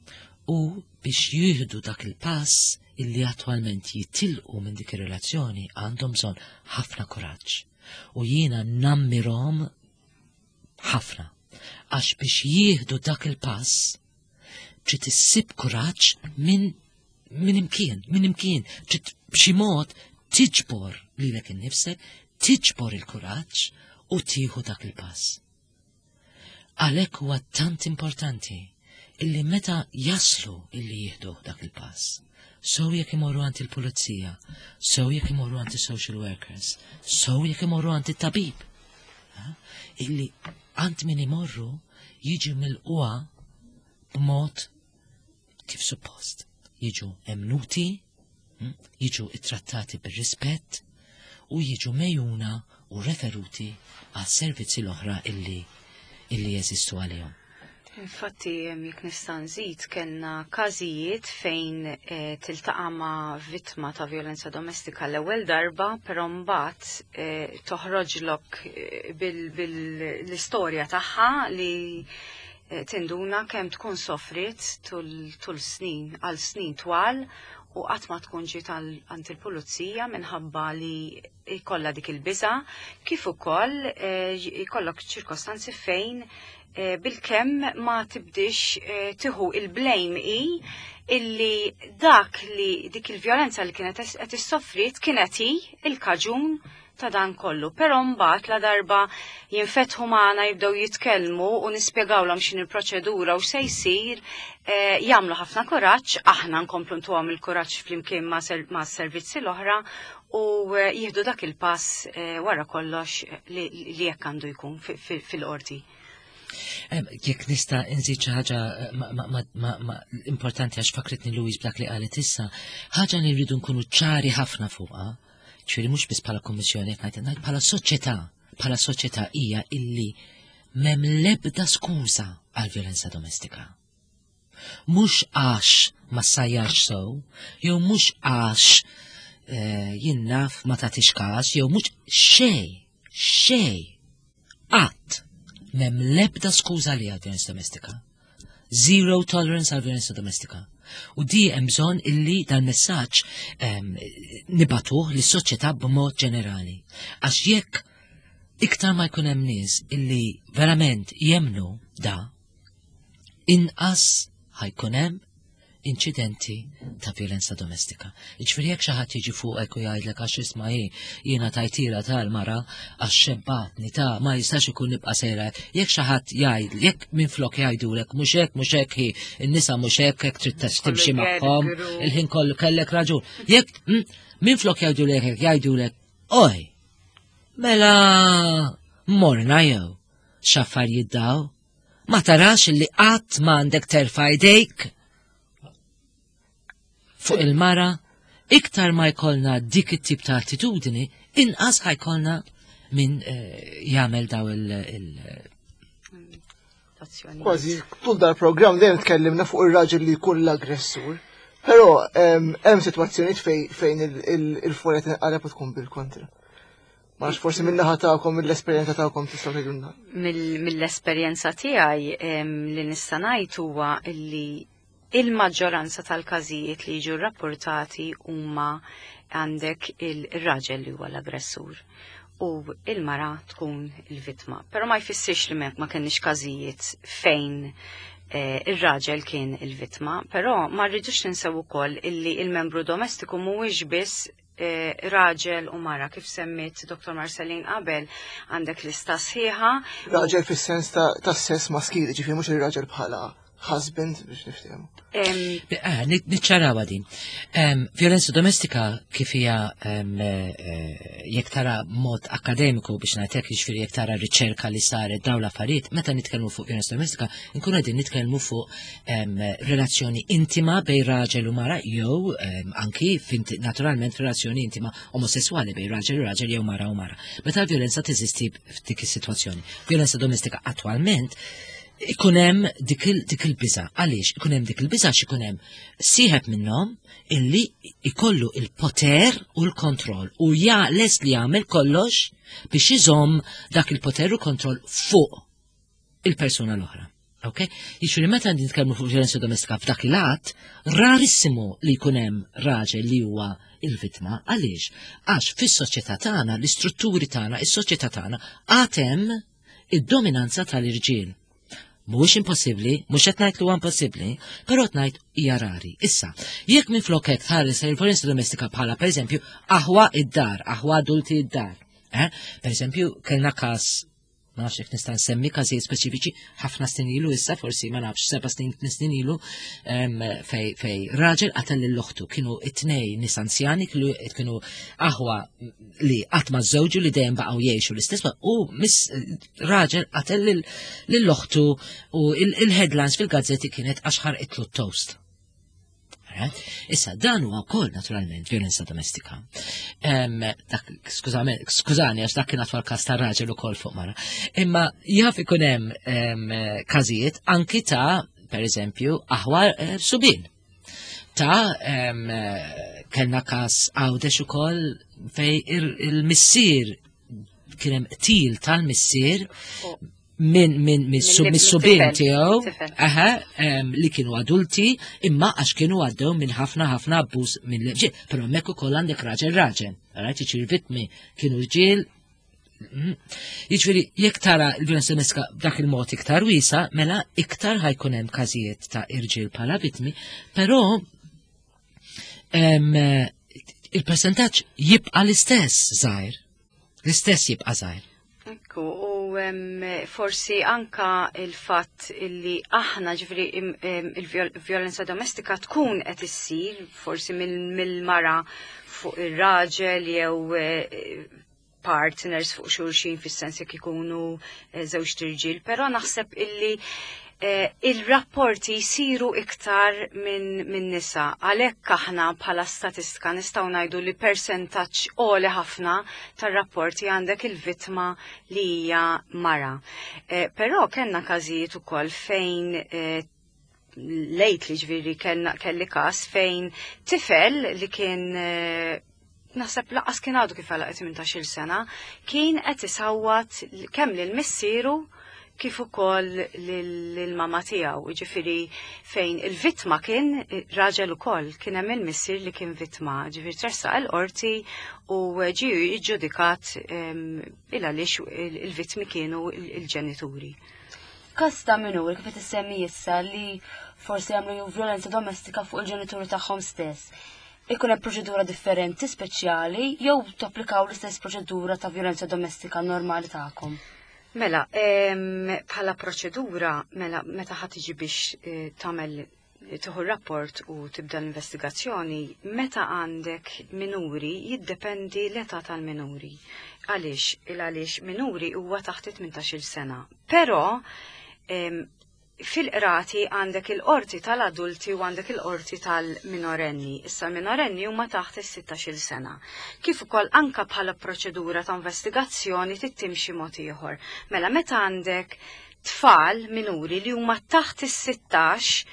C: U biex jieħdu dak il-pass illi attwalment jitilqu minn dik ir-relazzjoni għandhom bżonn ħafna kuraġġ. U jiena nammirhom ħafna. Għax biex jieħdu dak il-pass trid issib kuraġġ minn minn imkien, minn imkien, trid b'xi mod tiġbor lilek innifsek, tiġbor il-kuraġġ u tieħu dak il-pass. Għalhekk huwa tant importanti illi meta jaslu illi jieħdu dak il-pass. So jekk imorru għand il-pulizija, so jekk imorru għand il-social workers, so jekk imorru għand it-tabib. Illi għand min imorru jiġi milqugħa b'mod kif suppost. Jiġu emmnuti, hm, jiġu ittrattati bir-rispett u jiġu megħjuna u referuti għas servizzi l-oħra illi illi jeżistu għalihom.
B: Infatti, jekk nista' nżid, kellna każijiet fejn eh, tiltaqa' ma' vittma ta' violenza domestika l-ewwel darba, però mbagħad eh, toħroġlok eh, bil-istorja tagħha li eh, tinduna kemm tkun sofrit tul, tul snin, għal snin twal u qatt ma tkun ġiet għand il-pulizija minħabba li jkollha dik il-biża, kif ukoll eh, jkollok ċirkostanzi fejn eh, bilkemm ma tibdix eh, tieħu il-blame i illi dak li dik il-vjolenza li kienet qed issofrit kienet hi il-kaġun ta' dan kollu. Però mbagħad la darba jinfetħu magħna, jibdew jitkellmu u nispjegawlhom x'in il-proċedura u se jsir, eh, jagħmlu ħafna kuraġġ, aħna nkomplu ntuhom il-kuraġġ flimkien ma' ser- ma' servizzi l-oħra u eh, jieħdu dak il-pass eh, wara kollox li li jekk għandu jkun fi- fi- fil-qorti.
C: Em, Jekk nista' nżid xi ħaġa eh, ma- ma- ma- ma- ma- importanti għax fakritni Louise b'dak li qalet issa, ħaġa li rridu nkunu ċari ħafna fuqha, ġifieri mhux biss bħala kommissjoni qed ngħid ngħid bħala soċjetà, bħala soċjetà hija illi m'hemm l-ebda skuża għal violenza domestika. Mhux għax ma ssajjarx sew, jew mhux għax eh, jien naf ma tagħtix każ, jew mhux xejn, xejn, qatt m'hemm l-ebda skuża li għal violenza domestika. Zero tolerance għal violenza domestika. U di hemm bżonn illi dal-messaġġ em, nibagħtuh lis-soċjetà b'mod ġenerali. Għax jekk iktar ma jkun hemm nies illi verament jemnu da, inqas ħa jkun hemm inċidenti ta' violenza domestika. Ġifieri jekk xi ħadd jiġi fuqek u jgħidlek għax isma' hi jiena tajtira tal-mara għax xebbatni ta' ma jistax ikun nibqa' sejra. Jekk xi ħadd jgħid, jekk minflok jgħidulek mhux hekk, mhux hekk hi, in-nisa mhux hekk, hekk trid timxi magħhom, il-ħin kollu kellek raġun. Jekk mm, minflok jgħidulek hekk jgħidulek, oj, mela morna jew x'affarijiet daw, ma tarax li qatt m'għandek terfa' jdejk fuq il-mara, iktar ma jkollna dik it-tip ta' attitudni, inqas ħa jkollna min eh, jagħmel daw il- il-
B: Azzjonijiet.
D: Kważi tul dal-programm dejjem tkellimna fuq ir-raġel li jkun l-aggressur. Però em, hemm sitwazzjonijiet fej- fejn il- il- il-folja tinqaleb u tkun bil-kontra. Ma nafx forsi min-naħa tagħkom, mill-esperjenza tagħkom tistgħu tgħidulna.
B: Mill- Mill-esperjenza tiegħi em, li nista' ngħid huwa li il-maġġoranza tal-każijiet li jiġu rapportati huma għandek il-raġel li huwa l-aggressur. u il-mara tkun il-vittma. Però ma jfissirx li ma kenniex każijiet fejn eh, ir-raġel kien il-vittma, però ma rridux ninsew ukoll illi il-membru domestiku mhuwiex biss eh, raġel u mara, kif semmit Doktor Marcelin qabel, għandek lista sħiħa.
D: Raġel fis-sens ta' ta' sess maskili, ġifieri mhux ir-raġel bħala husband biex niftehmu.
B: Em,
C: Eh, Niċċarawa din. Em, Violenza domestika kif hija em, eh, jekk tara mod akademiku biex ngħidlek, jiġifieri jekk tara riċerka li saret dawn l-affarijiet, meta nitkellmu fuq violenza domestika, nkunu qegħdin nitkellmu fuq em, relazzjoni intima bejn raġel u mara jew em, anki fint- naturalment relazzjoni intima omosessuali bejn raġel u raġel jew mara u mara. Meta l-violenza teżisti f'dik is-sitwazzjoni. Violenza domestika attwalment ikun hemm dik il- dik il-biża. Għaliex ikun hemm dik il-biża? Għax ikun hemm sieħeb minnhom illi ikollu il-poter u l-kontroll u ja lest li jagħmel kollox biex iżomm dak il-poter u kontroll fuq il-persuna l-oħra. Ok? Jiġifieri meta nitkellmu fuq violenza domestika f'dak il-att, rarissimu li jkun hemm raġel li huwa il-vittma. Għaliex? Għax fis-soċjetà tagħna, l-istrutturi tagħna, is-soċjetà tagħna għad hemm id-dominanza tal-irġiel. Mhuwiex impossibbli, mhux qed ngħid li huwa impossibbli, però qed ngħid hija rari. Issa, jekk minflok hekk tħares il-violenza domestika bħala pereżempju aħwa id-dar, aħwa adulti id-dar. Eh? Per eżempju, kellna każ, ma nafx jekk nista' nsemmi każijiet speċifiċi, ħafna snin ilu issa, forsi ma nafx seba' snin, tmien snin ilu, em, fej fej raġel qatel lil oħtu. Kienu it-tnejn nies anzjani, kienu kienu aħwa li qatt ma żewġu, li dejjem baqgħu jgħixu l-istess, u mis raġel qatel lil- lil oħtu u il- il-headlines fil-gazzetti kienet għax ħarqitlu toast. Alright? Issa, dan huwa wkoll naturalment violenza domestika. Em, dak, skużami, skużani, għax dak kien attwal każ ta' raġel ukoll fuq mara. Imma jaf ikun hemm em, każijiet anki ta' per eżempju, aħwa eh, subien. Ta' em, eh, kellna każ Għawdex ukoll fej il- il-missier kien hemm qtil tal-missier minn min
B: Mill-
C: mis-subien
B: mit-tifel,
C: tiegħu,
B: mit-tifel.
C: aha, em, li kienu adulti, imma għax kienu għaddew minn ħafna ħafna abbuż minn l-ġiel. Però hemmhekk ukoll għandek raġel raġel. Right, jiġifieri vittmi kienu rġiel. Mm. Jiġifieri jekk tara l-violenza domestika b'dak il-mod iktar wiesa, mela iktar ħa jkun hemm każijiet ta' irġiel bħala vittmi, però em, il-percentaġġ jibqa' l-istess żgħir. L-istess jibqa' żgħir.
B: Ekku, u em, forsi anka il-fatt illi aħna ġifieri im- em, il-violenza domestika tkun qed issir forsi mill- mill-mara fuq ir-raġel jew eh, partners fuq xulxin fis-sens jekk ikunu eh, żewġ tirġiel, però naħseb illi eh, il-rapporti jisiru iktar minn min nisa. Għalhekk aħna bħala statistika nistgħu ngħidu li percentaġġ għoli ħafna tar-rapporti għandek il-vittma li hija mara. Eh, però kellna każijiet ukoll fejn eh, lejt li ġifieri kellna kelli każ fejn tifel li kien eh, naħseb lanqas kien għadu kif għalaq tmintax-il sena, kien qed isawwat kemm lil missieru kif ukoll lil-mama tiegħu, ġifieri fejn il-vittma kien raġel ukoll, kien hemm il-missier li kien vittma, ġifieri tressaq il-qorti u ġie iġġudikat il għaliex il-vittmi kienu il-ġenituri.
A: Każ ta' minuri kif qed issemmi issa li forsi jagħmlu violenza domestika fuq il-ġenituri tagħhom stess. Ikun hemm proċedura differenti speċjali jew tapplikaw l-istess proċedura ta' violenza domestika normali tagħkom?
B: Mela, em, bħala proċedura, mela, meta ħa tiġi biex eh, tagħmel tieħu rapport u tibda l-investigazzjoni, meta għandek minuri jiddependi l-età tal-minuri. Għaliex? Il għaliex minuri huwa taħt tmintax-il sena. Però em, fil-qrati għandek il-qorti tal-adulti u għandek il-qorti tal-minorenni. Issa minorenni huma taħt is-sittax-il sena. Kif ukoll anka bħala proċedura ta' investigazzjoni tittimxi mod ieħor. Mela meta għandek tfal minuri li huma taħt is-sittax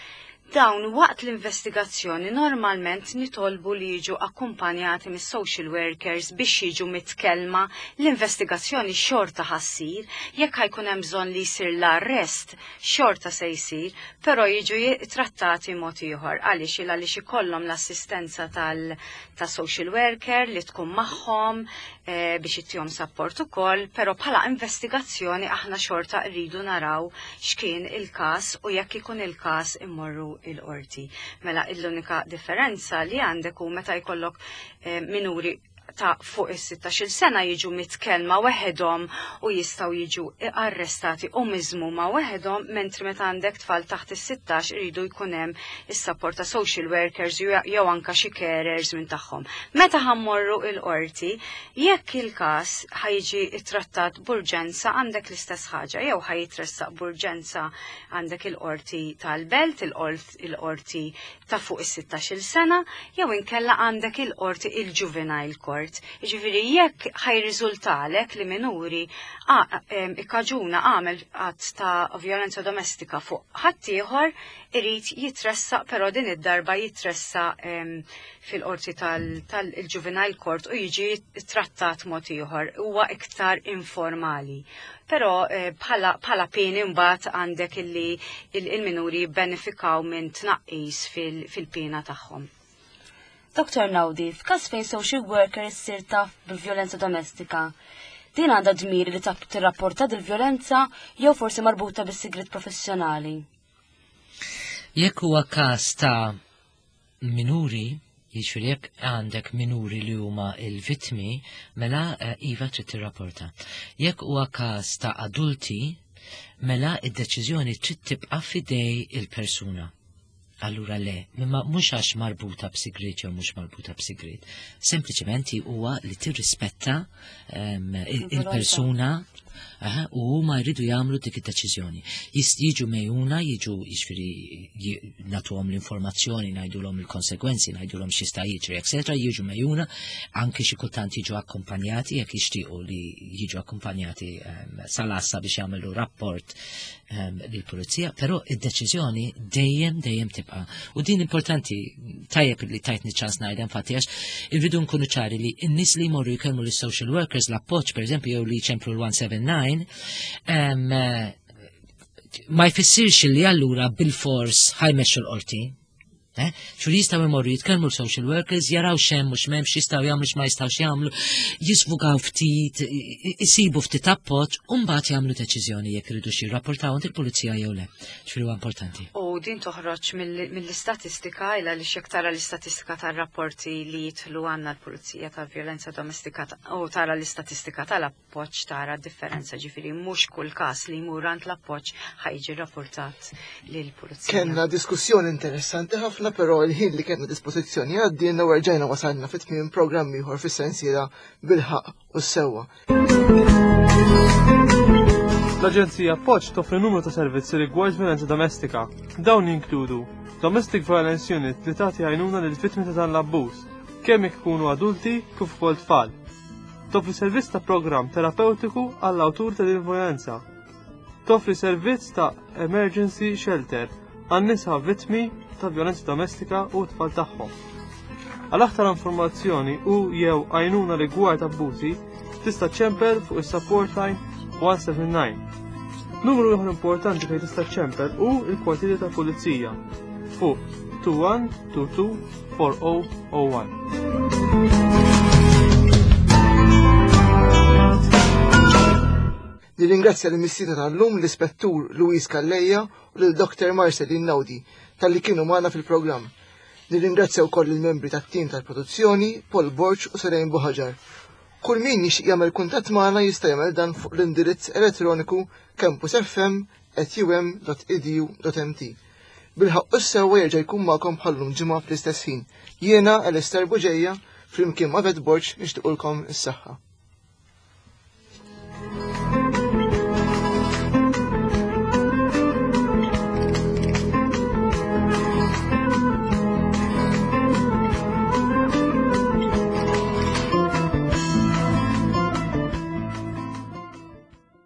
B: Dawn waqt l-investigazzjoni normalment nitolbu li jiġu akkumpanjati mis-social workers biex jiġu mitkellma. L-investigazzjoni xorta ħa ssir, jekk ħa jkun hemm bżonn li jsir l-arrest xorta se jsir, però jiġu trattati mod ieħor. Għaliex? Għaliex ikollhom l-assistenza tal ta' social worker li tkun magħhom eh, biex ittihom support ukoll, però bħala investigazzjoni aħna xorta rridu naraw x'kien il-każ u jekk ikun il-każ immorru il-qorti. Mela l-unika differenza li għandek hu meta jkollok eh, minuri ta' fuq is-sittax-il sena jiġu mitkellma weħedhom u jistgħu jiġu arrestati u miżmuma weħedhom, mentri meta għandek tfal taħt is-sittax iridu jkun hemm is-support ta' social workers jew anka xi carers minn tagħhom. Meta ħa mmorru il-qorti, jekk il-każ ħa jiġi trattat b'urġenza għandek l-istess ħaġa, jew ħa jitressaq b'urġenza għandek il-qorti tal-belt, il-qorti ta' fuq is-sittax-il sena, jew inkella għandek il-qorti il-juvenile court. Ġifieri jekk ħa jirriżultalek li minuri ikkaġuna għamel att ta' violenza domestika fuq ħaddieħor, irid jitressaq, però din id-darba jitressaq fil-qorti tal-juvenile court u jiġi trattat mod ieħor, huwa iktar informali. Però eh, bħala pieni mbagħad għandek illi il-minuri jibbenefikaw minn tnaqqis fil-pena tagħhom.
A: Doktor Naudi, f'każ fejn social worker issir taf bil-vjolenza domestika, din għandha dmir li tirrapporta dil-vjolenza jew forsi marbuta bis-sigriet professjonali?
C: Jekk huwa każ ta' minuri, jiġifieri jekk għandek minuri li huma il-vittmi, mela eh, iva trid tirrapporta. Jekk huwa każ ta' adulti, mela id-deċiżjoni trid tibqa' f'idej il-persuna. Allura le, imma mhux għax marbuta b'sigriet jew mhux marbuta b'sigriet. Sempliċement huwa li tirrispetta um, il-persuna u huma jridu jagħmlu dik id-deċiżjoni. Jiġu megħjuna, jiġu jiġifieri nagħtuhom l-informazzjoni, ngħidulhom il-konsekwenzi, ngħidulhom x'jista' jiġri, eċetera, jiġu megħjuna, anke xi kultant jiġu akkompanjati jekk jixtiequ li jiġu akkompanjati um, sal-għassa biex jagħmlu rapport um, lill-pulizija, però id-deċiżjoni dejjem dejjem tibqa'. U din importanti, tajjeb li tajtni ċans ngħidha infatti, għax irridu nkunu ċari li n-nies li jmorru jkellmu lis-social workers l-appoġġ pereżempju jew li jċemplu l-one seven nine um, ma jfissirx li allura bil-fors ħa jmexxu l-qorti. Eh? Xur jistgħu jmorru jitkellmu l-social workers, jaraw x'hemm u x'm'hemmx, x'jistgħu jagħmlu, x'ma jistgħux jagħmlu, jisvugaw ftit, isibu ftit appoġġ, u mbagħad jagħmlu deċiżjoni jekk iridu xi jirrapportaw għand il-pulizija jew le. Ġifieri huwa importanti.
B: U din toħroġ mill-istatistika, illa li jekk tara l-istatistika tar-rapporti li jidħlu għandna l-pulizija tal-vjolenza domestika u tara l-istatistika tal-appoġġ tara differenza, ġifieri mhux kull każ li jmur għand l-appoġġ ħa jiġi rapportat lill-pulizija.
D: Kellna diskussjoni interessanti ħafna, però il-ħin li kellna dispożizzjoni għaddielna u rġajna wasalna fit tmiem programm ieħor fis-sensiela Bil-Ħaqq u s-Sewwa.
E: L-Aġenzija Appoġġ toffri numru ta' servizzi rigward violenza domestika. Dawn jinkludu Domestic Violence Unit li tagħti għajnuna lil vittmi ta' dan l-abbuż, kemm jekk ikunu adulti kif ukoll tfal. Toffri servizz ta' programm terapeutiku għall-awtur ta' din violenza. Toffri servizz ta' emergency shelter għan-nisa vittmi ta' violenza domestika u tfal tagħhom. Għal aktar informazzjoni u jew għajnuna rigward abbużi, tista' ċempel fuq is-support line one seven nine. Numru ieħor importanti fejn tista' ċempel hu il-kwartieri ta' pulizija fuq twenty-one twenty-two forty oh one.
D: Nirringrazzja l-mistiedna tal-lum, l-Ispettur Luis Calleja u l-Doktor Marcelin Naudi, talli kienu magħna fil-programm. Nirringrazzja wkoll il-membri tat-tim tal-produzzjoni, Paul Borg u Serejn Buħaġar. Kull min jixtieq jagħmel kuntatt magħna jista' jagħmel dan fuq l-indirizz elettroniku campusfm at um dot edu dot M T. Bil-Ħaqq u s-Sewwa jerġa' jkun magħkom bħallum ġimgħa fl-istess ħin. Jiena Alistair Buġeja flimkien ma' Vet Borg nixtiequlkom is-saħħa.